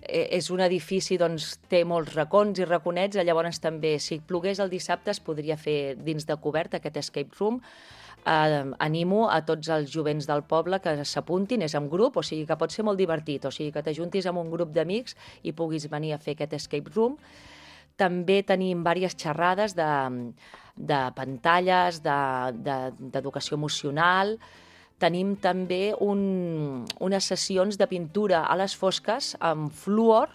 és un edifici, doncs, té molts racons i raconets, llavors també, si plogués el dissabte, es podria fer dins de cobert aquest escape room. Eh, animo a tots els jovents del poble que s'apuntin, és en grup, o sigui que pot ser molt divertit, o sigui que t'ajuntis amb un grup d'amics i puguis venir a fer aquest escape room. També tenim diverses xerrades de, de pantalles, d'educació de, de, emocional. Tenim també un, unes sessions de pintura a les fosques amb fluor.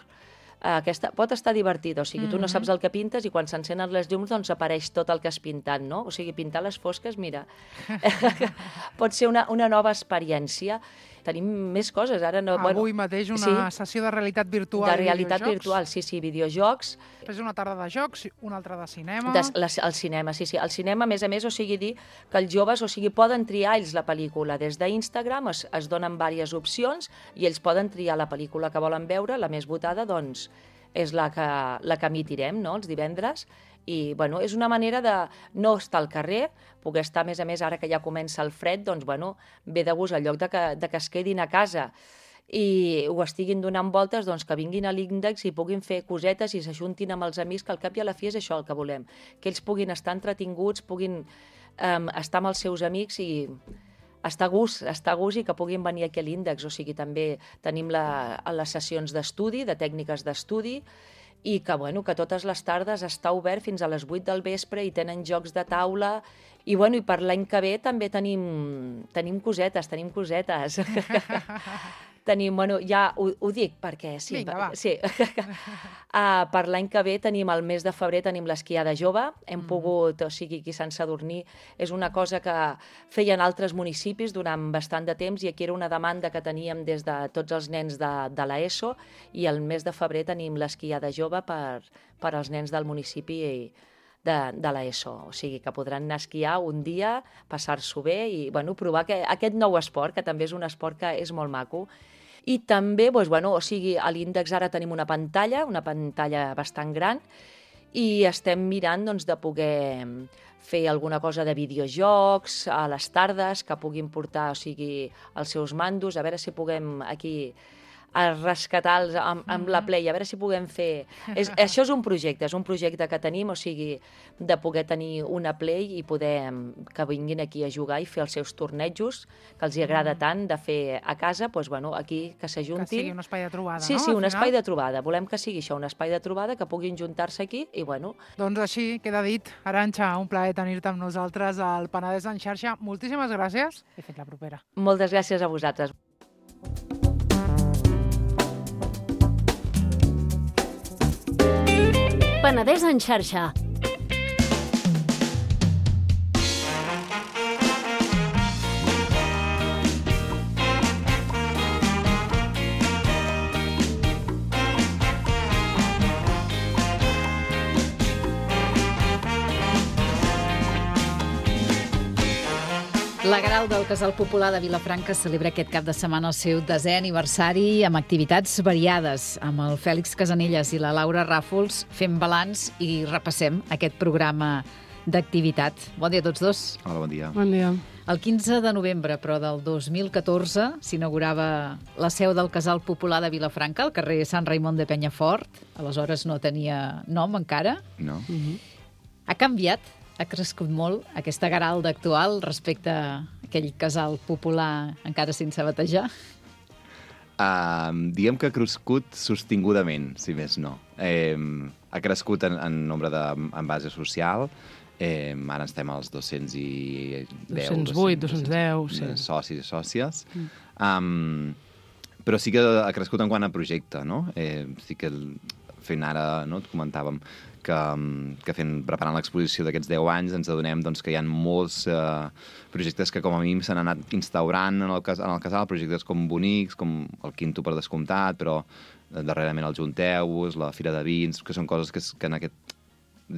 Aquesta pot estar divertida, o sigui, tu no saps el que pintes i quan s'encenen les llums doncs apareix tot el que has pintat, no? O sigui, pintar les fosques, mira, pot ser una, una nova experiència. Tenim més coses. Ara no, Avui bueno, mateix una sí, sessió de realitat virtual de realitat i videojocs. virtual, sí, sí, videojocs. Després una tarda de jocs, una altra de cinema. De, la, el cinema, sí, sí. El cinema, a més a més, o sigui, dir que els joves, o sigui, poden triar ells la pel·lícula. Des d'Instagram es, es donen diverses opcions i ells poden triar la pel·lícula que volen veure. La més votada, doncs, és la que, la que emitirem, no?, els divendres. I, bueno, és una manera de no estar al carrer, poder estar, a més a més, ara que ja comença el fred, doncs, bueno, ve de gust al lloc de que, de que es quedin a casa i ho estiguin donant voltes, doncs que vinguin a l'Índex i puguin fer cosetes i s'ajuntin amb els amics, que al cap i a la fi és això el que volem, que ells puguin estar entretinguts, puguin um, estar amb els seus amics i estar a gust, estar a gust i que puguin venir aquí a l'Índex. O sigui, també tenim la, les sessions d'estudi, de tècniques d'estudi, i que, bueno, que totes les tardes està obert fins a les vuit del vespre i tenen jocs de taula. I, bueno, i per l'any que ve també tenim, tenim cosetes, tenim cosetes. Tenim, bueno, ja ho, ho dic perquè sí. Vinga, va. Sí. uh, per l'any que ve tenim, el mes de febrer, tenim l'esquiada jove. Hem mm. pogut, o sigui, aquí a Sant Sadurní, és una cosa que feien altres municipis durant bastant de temps i aquí era una demanda que teníem des de tots els nens de, de l'ESO i el mes de febrer tenim l'esquiada jove per, per als nens del municipi i de, de l'ESO. O sigui, que podran anar a esquiar un dia, passar-s'ho bé i, bueno, provar que, aquest nou esport, que també és un esport que és molt maco. I també, doncs, bueno, o sigui, a l'índex ara tenim una pantalla, una pantalla bastant gran, i estem mirant doncs, de poder fer alguna cosa de videojocs a les tardes, que puguin portar, o sigui, els seus mandos, a veure si puguem aquí a rescatar-los amb, amb la Play, a veure si puguem fer... És, això és un projecte, és un projecte que tenim, o sigui, de poder tenir una Play i poder que vinguin aquí a jugar i fer els seus tornejos, que els hi agrada tant de fer a casa, doncs, bueno, aquí que s'ajuntin. Que sigui un espai de trobada, sí, no? Sí, sí, un final? espai de trobada. Volem que sigui això, un espai de trobada, que puguin juntar-se aquí i, bueno... Doncs així queda dit. Arantxa, un plaer tenir-te amb nosaltres al Penedès en xarxa. Moltíssimes gràcies i fins la propera. Moltes gràcies a vosaltres. Penedès en xarxa. La Gral del Casal Popular de Vilafranca celebra aquest cap de setmana el seu desè aniversari amb activitats variades. Amb el Fèlix Casanelles i la Laura Ràfols fem balanç i repassem aquest programa d'activitat. Bon dia a tots dos. Hola, bon dia. Bon dia. El quinze de novembre, però, del dos mil catorze, s'inaugurava la seu del Casal Popular de Vilafranca, al carrer Sant Raimon de Penyafort. Aleshores no tenia nom encara. No. Mm-hmm. Ha canviat, ha crescut molt aquesta Garalda actual respecte a aquell casal popular encara sense batejar? Uh, diguem que ha crescut sostingudament, si més no. Eh, ha crescut en, en nombre de, en base social. Eh, ara estem als dos-cents i deu, dos-cents vuit, dos-cents deu, sí. Socis i sòcies. Mm. Um, però sí que ha crescut en quant a projecte, no? Eh, sí que fent ara, no, et comentàvem, que, que fent, preparant l'exposició d'aquests deu anys ens adonem doncs, que hi ha molts eh, projectes que com a mínim s'han anat instaurant en el, en el casal, projectes com bonics, com el Quinto per descomptat, però darrerament el Junteus, la Fira de Vins, que són coses que, que en aquest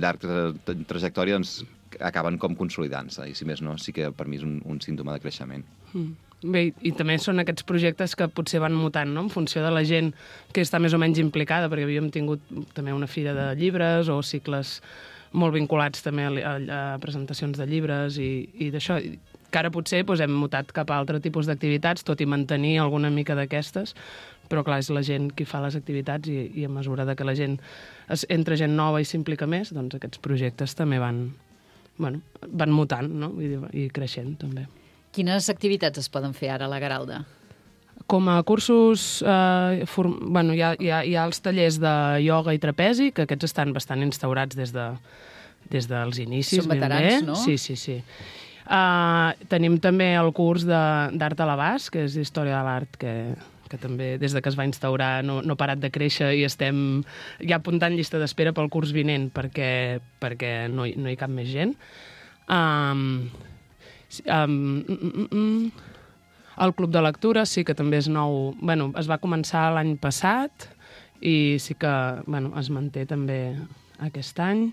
llarg tra trajectòria doncs, acaben com consolidant-se, i si més no, sí que per mi és un, un símptoma de creixement. Mm. Bé, i també són aquests projectes que potser van mutant, no?, en funció de la gent que està més o menys implicada, perquè havíem tingut també una fira de llibres o cicles molt vinculats també a, a presentacions de llibres i, i d'això, que ara potser doncs, hem mutat cap a altre tipus d'activitats, tot i mantenir alguna mica d'aquestes, però clar, és la gent qui fa les activitats i, i a mesura de que la gent es, entra gent nova i s'implica més, doncs aquests projectes també van, bueno, van mutant, no?, i, i creixent també. Quines activitats es poden fer ara a la Garalda? Com a cursos, eh, form... bueno, hi, ha, hi, ha, hi ha els tallers de ioga i trapezi, que aquests estan bastant instaurats des, de, des dels inicis. Són veterans, bé. no? Sí, sí, sí. Uh, tenim també el curs d'art a l'abast, que és d'història de l'art, que, que també des de que es va instaurar no, no ha parat de créixer i estem ja apuntant llista d'espera pel curs vinent perquè, perquè no, hi, no hi cap més gent. Um, Um, mm, mm, el Club de Lectura sí que també és nou. Bueno, es va començar l'any passat i sí que bueno, es manté també aquest any.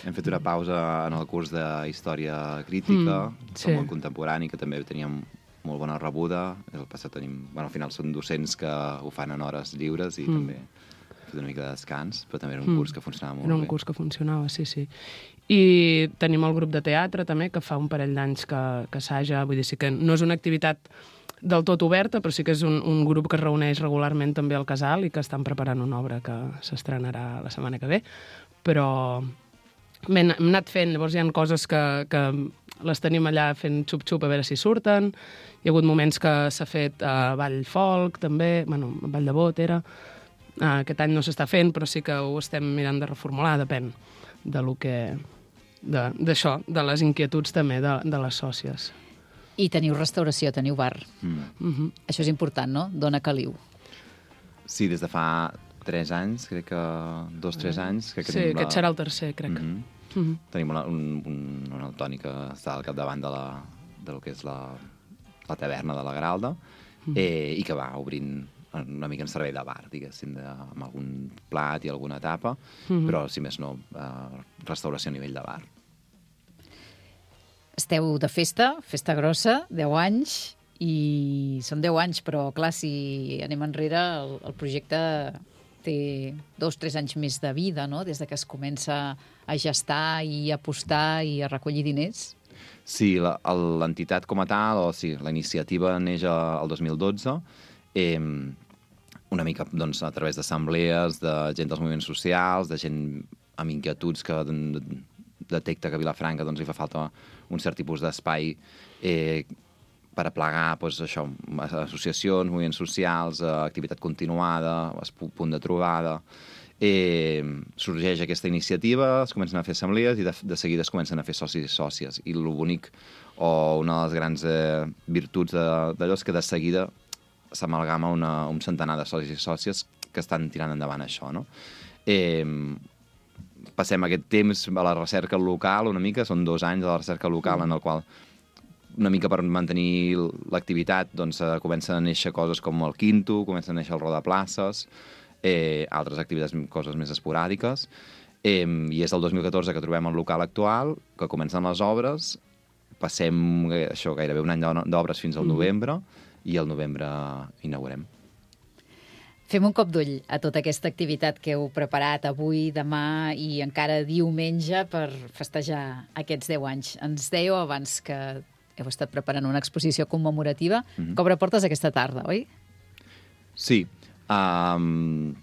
Hem fet una pausa en el curs de Història Crítica, mm, sí. Molt contemporani, que també teníem molt bona rebuda. El passat tenim... Bueno, al final són docents que ho fan en hores lliures i mm. també hem fet una mica de descans, però també era un mm. curs que funcionava molt bé. Era un curs que funcionava, sí, sí. I tenim el grup de teatre també, que fa un parell d'anys que, que assaja, vull dir, sí que no és una activitat del tot oberta, però sí que és un, un grup que es reuneix regularment també al casal i que estan preparant una obra que s'estrenarà la setmana que ve, però hem anat fent, llavors hi ha coses que, que les tenim allà fent xup-xup a veure si surten, hi ha hagut moments que s'ha fet uh, ball folk també, bueno, ball de bot era, Uh, aquest any no s'està fent, però sí que ho estem mirant de reformular, depèn de lo que... d'això, de, de les inquietuds també de, de les sòcies. I teniu restauració, teniu bar. Mm. Mm-hmm. Això és important, no? Dona caliu. Sí, des de fa tres anys, crec que dos, tres anys. Que sí, aquest la... serà el tercer, crec. Mm-hmm. Mm-hmm. Tenim una, un, un, un Antoni que està al capdavant de, la, de lo que és la, la taverna de la Gralda, mm-hmm. eh, i que va obrint una mica en servei de bar, diguéssim, de, amb algun plat i alguna tapa, mm-hmm. però, si més no, eh, restauració a nivell de bar. Esteu de festa, festa grossa, deu anys, i són deu anys, però, clar, si anem enrere, el, el projecte té dos, tres anys més de vida, no?, des de que es comença a gestar i a apostar i a recollir diners. Sí, l'entitat com a tal, o sí, la iniciativa neix el dos mil dotze, Eh, una mica doncs, a través d'assemblees, de gent dels moviments socials, de gent amb inquietuds que detecta que a Vilafranca doncs, li fa falta un cert tipus d'espai eh, per aplegar doncs, això, associacions, moviments socials, eh, activitat continuada, punt de trobada. Eh, sorgeix aquesta iniciativa, es comencen a fer assemblees i de, de seguida es comencen a fer socis i sòcies. I el bonic, o una de les grans eh, virtuts d'allò és que de seguida s'amalgama un centenar de socis i sòcies que estan tirant endavant això, no? Eh, passem aquest temps a la recerca local una mica, són dos anys de la recerca local en el qual una mica per mantenir l'activitat doncs comencen a néixer coses com el Quinto, comencen a néixer el Rodaplaces, eh, altres activitats, coses més esporàdiques, eh, i és el dos mil catorze que trobem el local actual, que comencen les obres, passem això gairebé un any d'obres fins al novembre, i al novembre inaugurem. Fem un cop d'ull a tota aquesta activitat que heu preparat avui, demà i encara diumenge per festejar aquests deu anys. Ens dèieu abans que heu estat preparant una exposició commemorativa mm-hmm. que obre portes aquesta tarda, oi? Sí. Um,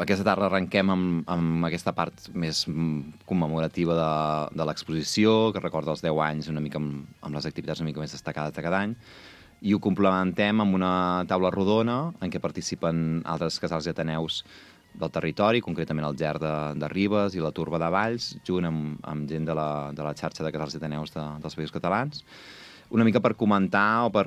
aquesta tarda arrenquem amb, amb aquesta part més commemorativa de, de l'exposició, que recorda els deu anys una mica amb, amb les activitats una mica més destacades de cada any, i ho complementem amb una taula rodona en què participen altres casals i ateneus del territori, concretament el Ger de, de Ribes i la Turba de Valls, junt amb, amb gent de la, de la xarxa de casals i ateneus de, dels Països Catalans, una mica per comentar o per,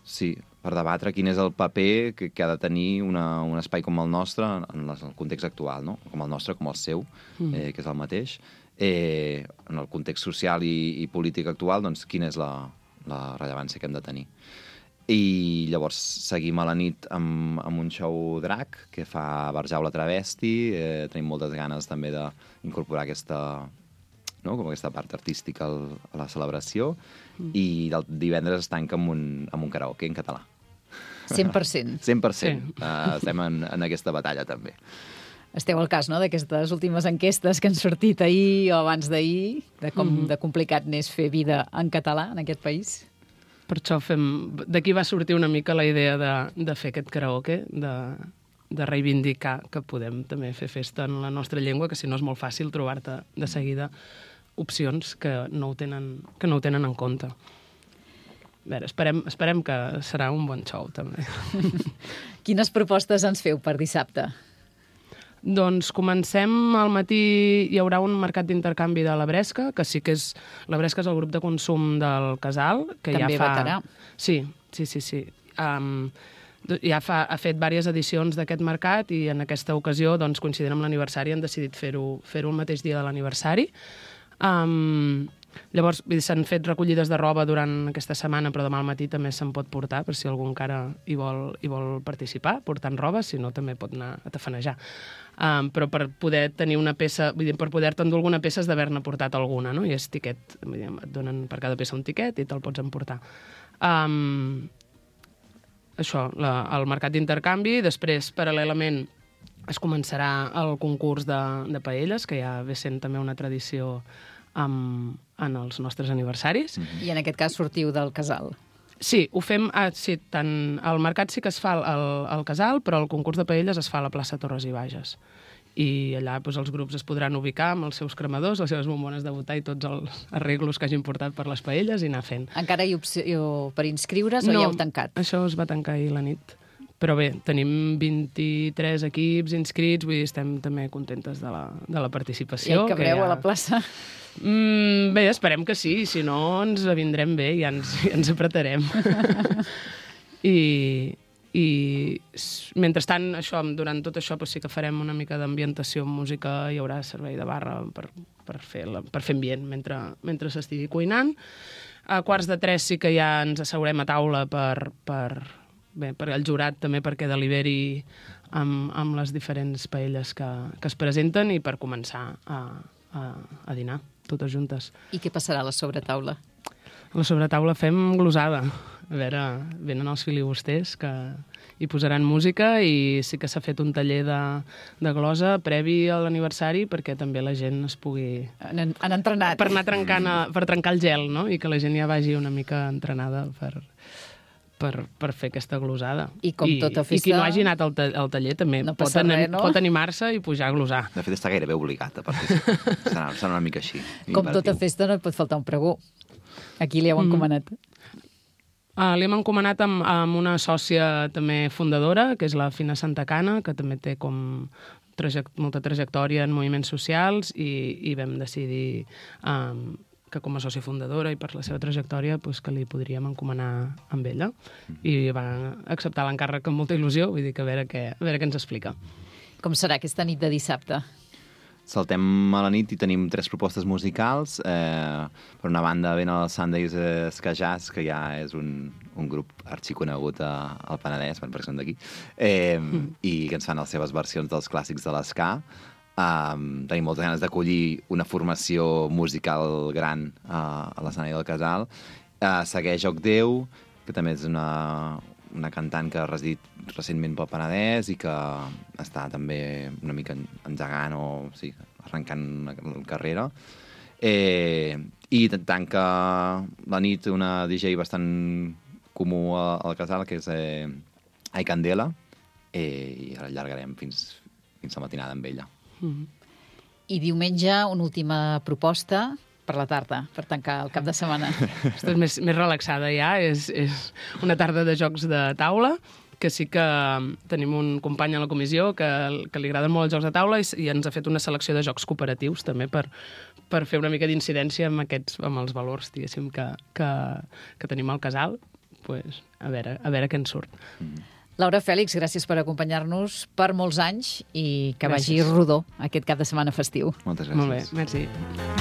sí, per debatre quin és el paper que, que ha de tenir una, un espai com el nostre en el context actual, no? Com el nostre, com el seu, mm. eh, que és el mateix. Eh, en el context social i, i polític actual, doncs quina és la, la rellevància que hem de tenir. I llavors seguim a la nit amb, amb un show drac que fa Barjaula Travesti, eh, tenim moltes ganes també d'incorporar aquesta, no? Com aquesta part artística al, a la celebració, mm. i del divendres es tanca amb un, amb un karaoke en català. cent per cent. cent per cent. Sí. Uh, estem en, en aquesta batalla també. Esteu al cas, no?, d'aquestes últimes enquestes que han sortit ahir o abans d'ahir, de com mm-hmm. de complicat n'és fer vida en català en aquest país. Per això fem... D'aquí va sortir una mica la idea de, de fer aquest karaoke, de, de reivindicar que podem també fer festa en la nostra llengua, que si no és molt fàcil trobar-te de seguida opcions que no ho tenen, que no ho tenen en compte. A veure, esperem, esperem que serà un bon show, també. Quines propostes ens feu per dissabte? Doncs comencem al matí, hi haurà un mercat d'intercanvi de la Bresca, que sí que és... La Bresca és el grup de consum del Casal, que també ja fa... veterà. Sí, sí, sí, sí. Um, ja fa, ha fet diverses edicions d'aquest mercat i en aquesta ocasió, doncs, coincidint amb l'aniversari, han decidit fer-ho fer-ho el mateix dia de l'aniversari. Um, llavors, s'han fet recollides de roba durant aquesta setmana, però demà al matí també se'n pot portar, per si algú encara hi vol, hi vol participar, portant roba, si no també pot anar a tafanejar. Um, però per poder tenir una peça, vull dir, per poder-te endur alguna peça has d'haver-ne portat alguna, no? I és tiquet, vull dir, et donen per cada peça un tiquet i te'l pots emportar. Um, això, la, el mercat d'intercanvi, després, paral·lelament, es començarà el concurs de, de paelles, que ja ve sent també una tradició amb, en els nostres aniversaris. Mm-hmm. I en aquest cas sortiu del Casal. Sí, ho fem... Ah, sí, tant el mercat sí que es fa al, al Casal, però el concurs de paelles es fa a la plaça Torres i Bages. I allà doncs, els grups es podran ubicar amb els seus cremadors, les seves bombones de butà i tots els arreglos que hagin portat per les paelles i anar fent. Encara hi ha opció per inscriure's o no, ja heu tancat? Això es va tancar ahir la nit. Però bé, tenim vint-i-tres equips inscrits, vull dir, estem també contentes de la, de la participació. I hi cabreu ja... a la plaça? Mm, bé, esperem que sí, si no ens vindrem bé i ja ens, ja ens apretarem. I, I mentrestant, això, durant tot això doncs sí que farem una mica d'ambientació amb música, hi haurà servei de barra per, per, fer, la, per fer ambient mentre, mentre s'estigui cuinant. A quarts de tres sí que ja ens asseurem a taula per... per bé, per el jurat també perquè deliberi amb, amb les diferents paelles que, que es presenten i per començar a, a, a dinar totes juntes. I què passarà a la sobretaula? A la sobretaula fem glosada. A veure, venen els filibusters que hi posaran música i sí que s'ha fet un taller de, de glosa previ a l'aniversari perquè també la gent es pugui... Han, han entrenat. Per anar trencant, a, per trencar el gel, no? I que la gent ja vagi una mica entrenada per... Per, per fer aquesta glosada. I com tota festa... I qui no hagi anat al, ta al taller també no pot, res, no? pot animar-se i pujar a glosar. De fet, està gairebé obligat a participar. serà, serà una mica així. Com tota festa no et pot faltar un pregó. Aquí li heu encomanat. Mm. Uh, li hem encomanat amb, amb una sòcia també fundadora, que és la Fina Santa Cana, que també té com traject molta trajectòria en moviments socials i, i vam decidir... Um, que com a sòcia fundadora i per la seva trajectòria pues, que li podríem encomanar amb ella. I va acceptar l'encàrrec amb molta il·lusió, vull dir que a veure què, a veure què ens explica. Com serà aquesta nit de dissabte? Saltem a la nit i tenim tres propostes musicals. Eh, per una banda, ven el Sundays Ska Jazz, que ja és un, un grup arxiconegut a, al Penedès, perquè són d'aquí, eh, mm. i que ens fan les seves versions dels clàssics de l'esca. Um, tenim moltes ganes d'acollir una formació musical gran uh, a l'escenari del Casal. Uh, segueix Joc Déu, que també és una, una cantant que ha residit recentment pel Penedès i que està també una mica engegant o sí, arrencant una carrera. Eh, I tanca la nit una D J bastant comú al Casal, que és eh, Ai Candela, eh, i ara allargarem fins, fins a matinada amb ella. Mm-hmm. I diumenge una última proposta per la tarda, per tancar el cap de setmana. Aquesta és més, més relaxada ja, és, és una tarda de jocs de taula, que sí que tenim un company a la comissió que, que li agraden molt els jocs de taula i, i ens ha fet una selecció de jocs cooperatius també per, per fer una mica d'incidència amb, aquests, amb els valors, diguéssim, que, que, que tenim al Casal. Pues, a, veure, a veure què en surt. Mm. Laura Fèlix, gràcies per acompanyar-nos per molts anys i que gràcies. Vagi rodó aquest cap de setmana festiu. Moltes gràcies. Molt bé, merci.